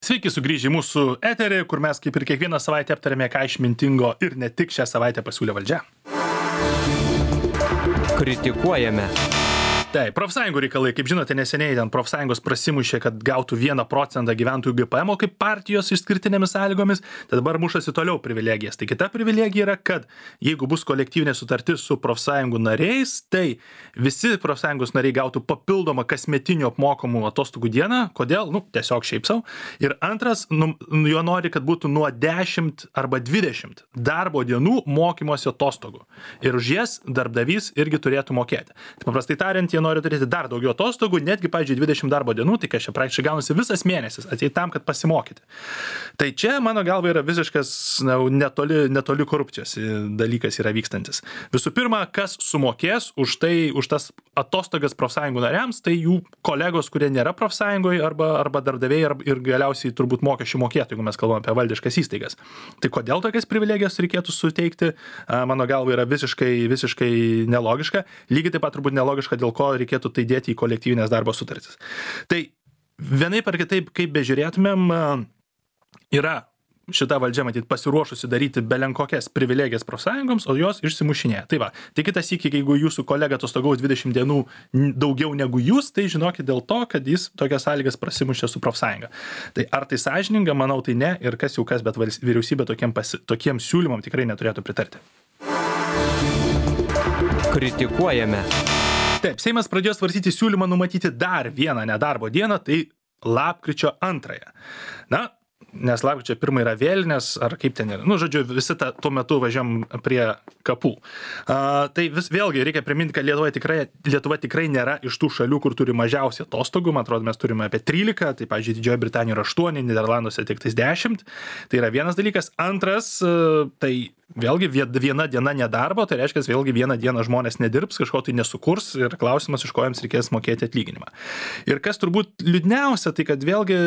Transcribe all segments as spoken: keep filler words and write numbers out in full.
Sveiki sugrįžę į mūsų eterį, kur mes kaip ir kiekvieną savaitę aptarėme, ką išmintingo ir ne tik šią savaitę pasiūlė valdžia. Kritikuojame. Taip, profsąjungų reikalai, kaip žinote, neseniai ten profsąjungos prasimušė, kad gautų vieną procentą gyventojų G P M kaip partijos išskirtinėmis sąlygomis, tai dabar mušasi toliau privilegijas. Tai kita privilegija yra, kad jeigu bus kolektyvinė sutartis su profsąjungų nariais, tai visi profsąjungos nariai gautų papildomą kasmetinių apmokamų atostogų dieną. Kodėl? Nu, tiesiog šiaip savo. Ir antras, nu, jo nori, kad būtų nuo dešimt arba dvidešimt darbo dienų mokymosi atostogų. Ir už jas darbdavys irgi turėtų mokėti. Tai paprastai tariant, jie nori turėti dar daugiau atostogų, netgi, pavyzdžiui, dvidešimt darbo dienų, tai kas čia praktiškai gaunasi visas mėnesis, ateit tam, kad pasimokyti. Tai čia, mano galva, yra visiškas na, netoli, netoli korupcijos dalykas yra vykstantis. Visų pirma, kas sumokės už tai, už tas atostogas profsąjungų nariams, tai jų kolegos, kurie nėra profsąjungoje arba, arba darbdaviai arba, ir galiausiai turbūt mokesčių mokėtojai, jeigu mes kalbame apie valdiškas įstaigas. Tai kodėl tokias privilegijas reikėtų suteikti, mano galva, yra visiškai, visiškai nelogiška. Lygiai taip pat turbūt nelogiška, dėl ko reikėtų tai dėti į kolektyvinės darbo sutartis. Tai vienaip ar kitaip, kaip bežiūrėtumėm, yra šita valdžia, matyt, pasiruošusi daryti belenkokias privilegijas profsąjungoms, o jos išsimušinėja. Tai va, tai kitas sykį, jeigu jūsų kolega atostogaus dvidešimt dienų daugiau negu jūs, tai žinokit dėl to, kad jis tokias sąlygas prasimušė su profsąjunga. Tai ar tai sąžininga, manau, tai ne, ir kas jau kas, bet vyriausybė tokiem, pasi, tokiem siūlymam tikrai neturėtų pritarti. Kritikuojame. Taip, Seimas pradėjo svarstyti siūlymą numatyti dar vieną nedarbo dieną, tai lapkričio antrąją. Na, nes lapkričio pirmą yra vėlinės, ar kaip ten yra. Nu, žodžiu, visi ta, tuo metu važiam prie kapų. A, tai vis, vėlgi reikia priminti, kad Lietuva tikrai, Lietuva tikrai nėra iš tų šalių, kur turi mažiausiai atostogų. Man atrodo, mes turime apie trylika, tai, pavyzdžiui, Didžioji Britanija yra aštuoni, Niderlanduose tik tais dešimt. Tai yra vienas dalykas. Antras, tai vėlgi viena diena nedarbo, tai reiškia, vėlgi vieną dieną žmonės nedirbs, kažko tai nesukurs ir klausimas, iš ko jiems reikės mokėti atlyginimą. Ir kas turbūt liūdniausia, tai kad vėlgi,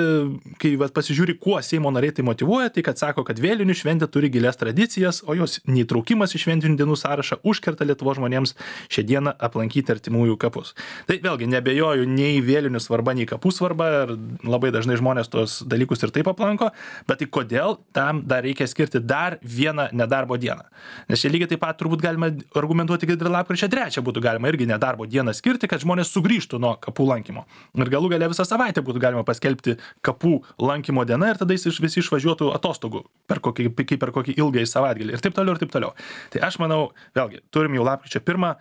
kai vat, pasižiūri, kuo Seimo nariai tai motyvuoja, tai kad sako, kad vėlinių šventė turi gilias tradicijas, o jos neįtraukimas į šventinių dienų sąrašą užkerta Lietuvos žmonėms šią dieną aplankyti artimųjų kapus. Tai vėlgi nebejoju nei vėlinių svarba, nei kapų svarba, ir labai dažnai žmonės tos dalykus ir taip aplanko, bet tai kodėl tam dar reikia skirti dar vieną nedarbo dieną. Nes čia lygiai taip pat turbūt galima argumentuoti, kad ir lapkričio trečią būtų galima irgi nedarbo dieną skirti, kad žmonės sugrįžtų nuo kapų lankymo. Ir galų gale visą savaitę būtų galima paskelbti kapų lankymo dieną ir tada jis visi išvažiuotų atostogų per kokį, kaip per kokį ilgąjį savaitgalį ir taip toliau ir taip toliau. Tai aš manau, vėlgi, turim jau lapkričio pirmą,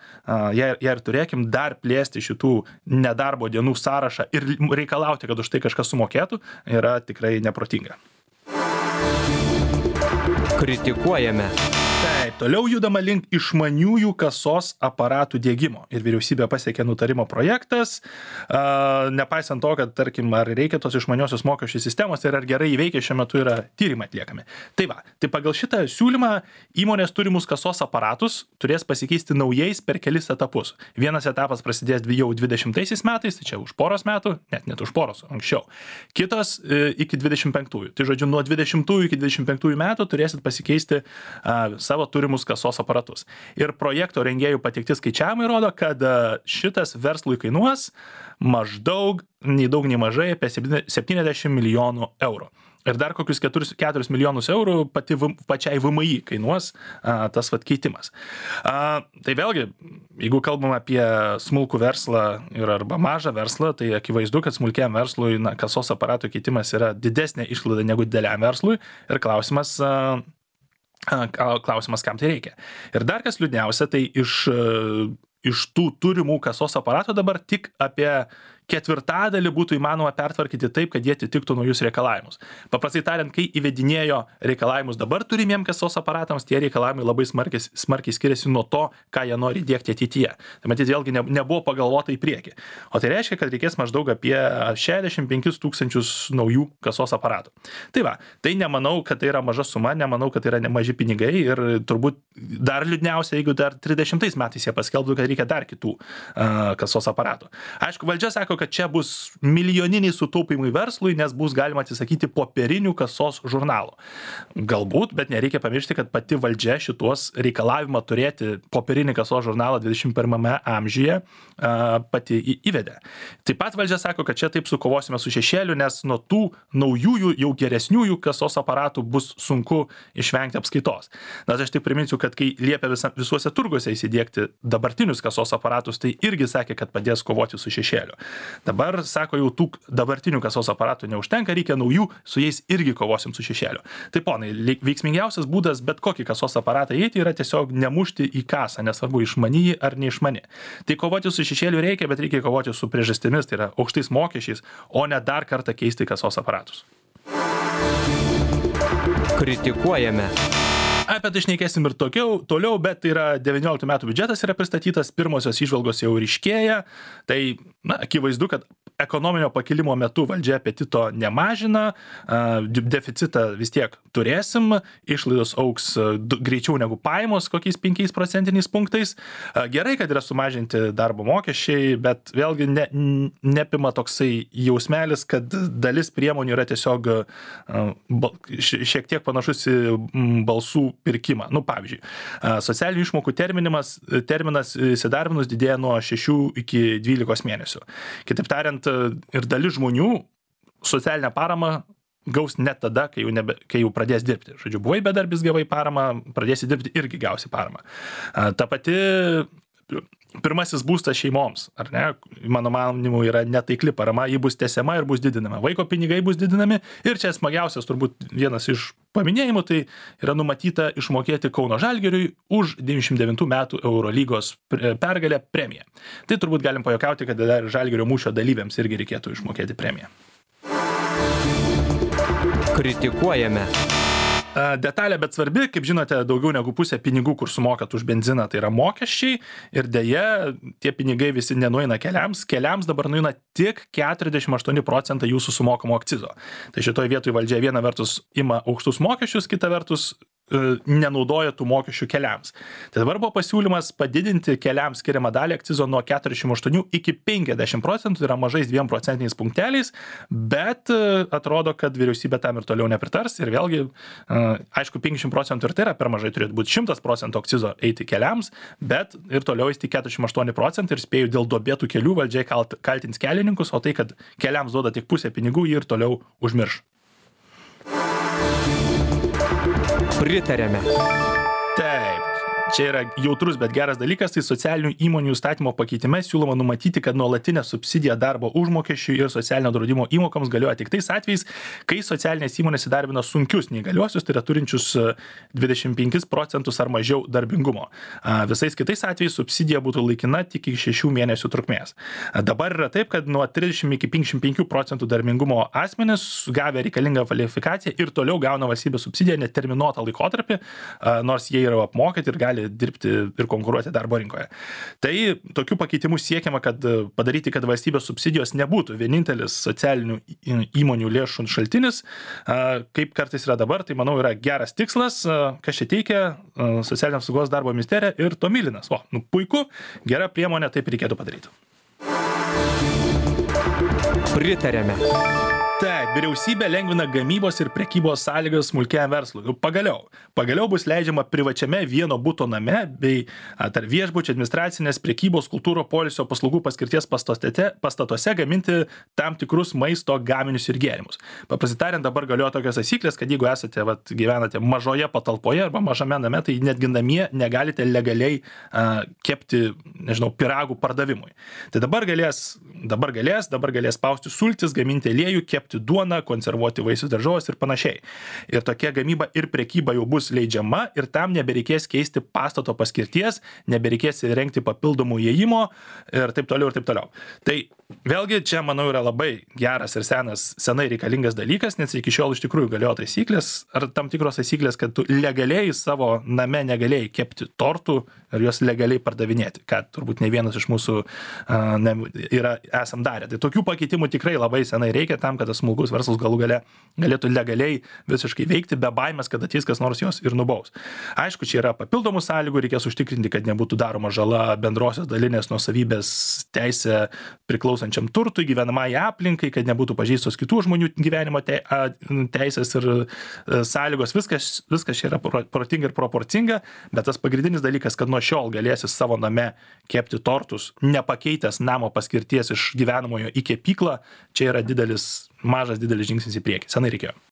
ją ir turėkim dar plėsti šitų nedarbo dienų sąrašą ir reikalauti, kad už tai kažkas sumokėtų, yra tikrai neprotinga. Kritikuojame. Taip, toliau judama link išmaniųjų kasos aparatų diegimo. Ir vyriausybė pasiekė nutarimo projektas, a, nepaisant to, kad, tarkim, ar reikia tos išmaniosios mokesčių sistemos ir ar gerai įveikia, šiuo metu yra tyrimai atliekami. Tai va, tai pagal šitą siūlymą įmonės turimus kasos aparatus turės pasikeisti naujais per kelis etapus. Vienas etapas prasidės jau dvidešimtaisiais metais, tai čia už poros metų, net net už poros, anksčiau. Kitos e, iki dvidešimt penktųjų. Tai žodžiu, nuo dvidešimtųjų iki dvidešimt penktųjų metų turėsit pasikeisti a, savo turimus kasos aparatus. Ir projekto rengėjų pateikti skaičiavimai rodo, kad šitas verslui kainuos maždaug, nei daug, nei mažai, apie septyniasdešimt milijonų eurų. Ir dar kokius keturis milijonus eurų pati, pačiai V M I kainuos a, tas vat keitimas. A, tai vėlgi, jeigu kalbam apie smulkų verslą ir arba mažą verslą, tai akivaizdu, kad smulkiam verslui na, kasos aparatų keitimas yra didesnė išlaida negu dideliam verslui. Ir klausimas... A, Klausimas, kam tai reikia. Ir dar kas liūdniausia, tai iš, iš tų turimų kasos aparatų dabar tik apie ketvirtadalį būtų įmanoma pertvarkyti taip, kad jie atitiktų naujus reikalavimus. Paprastai tariant, kai įvedinėjo reikalavimus dabar turimiem kasos aparatams, tie reikalavimai labai smarkiai, smarkiai skiriasi nuo to, ką jie nori diegti ateityje. Tai matyt, vėlgi ne, nebuvo pagalvota į priekį. O tai reiškia, kad reikės maždaug apie šešiasdešimt penkis tūkstančius naujų kasos aparatų. Tai va, tai nemanau, kad tai yra maža suma, nemanau, kad tai yra nemaži pinigai ir turbūt dar liūdniausia, jeigu dar trisdešimtais metais jie paskelbtų, kad reikia dar kitų uh, kasos aparatų. Aišku, valdžia sako, sako, kad čia bus milijoniniai sutaupimai verslui, nes bus galima atsisakyti popierinių kasos žurnalų. Galbūt, bet nereikia pamiršti, kad pati valdžia šitos reikalavimą turėti popierinį kasos žurnalą dvidešimt pirmame amžiuje pati įvedė. Taip pat valdžia sako, kad čia taip sukovosime su šešėliu, nes nuo tų naujųjų, jau geresniųjų kasos aparatų bus sunku išvengti apskaitos. Na, aš tik priminsiu, kad kai liepia visa, visuose turguose įsidiegti dabartinius kasos aparatus, tai irgi sakė, kad padės kovoti su šešėliu. Dabar, sako, jau tų dabartinių kasos aparatų neužtenka, reikia naujų, su jais irgi kovosim su šešėliu. Tai ponai, veiksmingiausias būdas bet kokį kasos aparatą įeiti yra tiesiog nemušti į kasą, nesvarbu išmanį ar neišmanį. Tai kovoti su šešėliu reikia, bet reikia kovoti su priežastimis, tai yra aukštais mokesčiais, o ne dar kartą keisti kasos aparatus. Kritikuojame. Apie tai šnekėsim ir tokiau, toliau, bet tai yra devynioliktų metų biudžetas yra pristatytas, pirmosios įžvalgos jau ryškėja, tai na, akivaizdu, kad ekonominio pakilimo metu valdžia apetito nemažina, deficitą vis tiek turėsim, išlaidos augs greičiau negu pajamos, kokiais penkiais procentiniais punktais. Gerai, kad yra sumažinti darbo mokesčiai, bet vėlgi ne, nepima toksai jausmelis, kad dalis priemonių yra tiesiog šiek tiek panašus į balsų pirkimą. Nu, pavyzdžiui, socialinių išmokų terminimas, terminas įsidarbinus didėja nuo šešių iki dvylikos mėnesių. Kitaip tariant, ir dalis žmonių socialinę paramą gaus net tada, kai jau, nebe, kai jau pradės dirbti. Žodžiu, buvai bedarbis, gavai paramą, pradėsi dirbti, irgi gausi paramą. Ta pati pirmasis būstas šeimoms, ar ne, mano manymu, yra netaikli parama, ji bus tęsiama ir bus didinama. Vaiko pinigai bus didinami ir čia smagiausias turbūt vienas iš paminėjimų, tai yra numatyta išmokėti Kauno Žalgiriui už devyniasdešimt devintų metų Eurolygos pergalę premiją. Tai turbūt galim pajuokauti, kad dar Žalgirio mūšio dalyviams irgi reikėtų išmokėti premiją. Kritikuojame. Detalė, bet svarbi, kaip žinote, daugiau negu pusė pinigų, kur sumokat už benziną, tai yra mokesčiai ir deja, tie pinigai visi nenueina keliams, keliams dabar nueina tik keturiasdešimt aštuoni procentai jūsų sumokamo akcizo. Tai šitoj vietoj valdžia viena vertus ima aukštus mokesčius, kita vertus nenaudoja tų mokesčių keliams. Tai dabar buvo pasiūlymas padidinti keliams skiriamą dalį akcizo nuo keturiasdešimt aštuonių iki penkiasdešimt procentų, tai yra mažais dviem procentiniais punkteliais, bet atrodo, kad vyriausybė tam ir toliau nepritars ir vėlgi, aišku, penkiasdešimt procentų ir tai yra per mažai, turėtų būti šimtas procentų akcizo eiti keliams, bet ir toliau eiti keturiasdešimt aštuoni procentai ir spėjau dėl duobėtų kelių valdžiai kaltins kelininkus, o tai, kad keliams duoda tik pusę pinigų, jį ir toliau užmirš. Pritarėme. Taip. Čia yra jautrus, bet geras dalykas, tai socialinių įmonių įstatymo pakeitime siūloma numatyti, kad nuolatinė subsidija darbo užmokesčiui ir socialinio draudimo įmokoms galioja tik tais atvejais, kai socialinės įmonės įdarbina sunkius neįgaliuosius, tai yra turinčius dvidešimt penkis procentus ar mažiau darbingumo. Visais kitais atvejais subsidija būtų laikina tik iki šešių mėnesių trukmės. Dabar yra taip, kad nuo trisdešimt iki penkiasdešimt penkių procentų darbingumo asmenys gavę reikalingą kvalifikaciją ir toliau gauna valstybės subsidiją neterminuotą laikotarpį, nors jie yra apmokyti ir gali dirbti ir konkuruoti darbo rinkoje. Tai tokių pakeitimų siekiama, kad padaryti, kad valstybės subsidijos nebūtų vienintelis socialinių įmonių lėšų šaltinis, kaip kartais yra dabar, tai manau yra geras tikslas, kas čia teikia Socialinės apsaugos darbo ministerija ir Tomilinas. O, nu puiku, gera priemonė, taip reikėtų padaryti. Pritarėme. Taip, vyriausybė lengvina gamybos ir prekybos sąlygas smulkiam verslui. Pagaliau. Pagaliau bus leidžiama privačiame vieno buto name bei tarp viešbučių, administracinės, prekybos, kultūro, poilsio paslaugų paskirties pastatuose, pastatuose gaminti tam tikrus maisto gaminius ir gėrimus. Paprastai tariant, dabar galioja tokios taisyklės, kad jeigu esate, vat, gyvenate mažoje patalpoje arba mažame name, tai netgi namie negalite legaliai a, kepti, nežinau, piragų pardavimui. Tai dabar galės, dabar galės, dabar galės spausti sultis, gaminti aliejų, kepti duoną, konservuoti vaisius daržoves ir panašiai. Ir tokia gamyba ir prekyba jau bus leidžiama ir tam nebereikės keisti pastato paskirties, nebereikės įrengti papildomų įėjimo ir taip toliau ir taip toliau. Tai vėlgi čia, manau, yra labai geras ir senas, senai reikalingas dalykas, nes iki šiol iš tikrųjų galiojo taisyklės ar tam tikros taisyklės, kad tu legaliai savo name negalėjai kepti tortų ir juos legaliai pardavinėti, ką turbūt ne vienas iš mūsų uh, ne, yra, esam darę. Tai tokių pakeitimų tikrai labai senai reikia tam, kad tas smulkus verslas galų gale galėtų legaliai visiškai veikti, be baimės, kad ateis kas nors jos ir nubaus. Aišku, čia yra papildomų sąlygų, reikės užtikrinti, kad nebūtų daroma žala bendrosios dalinės nuosavybės teisė priklauso priklausančiam turtui, gyvenamai aplinkai, kad nebūtų pažeistos kitų žmonių gyvenimo te, a, teisės ir a, sąlygos. Viskas, viskas čia yra protinga ir proporcinga, bet tas pagrindinis dalykas, kad nuo šiol galėsi savo name kepti tortus, nepakeitęs namo paskirties iš gyvenamojo į kepyklą, čia yra didelis, mažas didelis žingsnis į priekį. Senai reikėjo.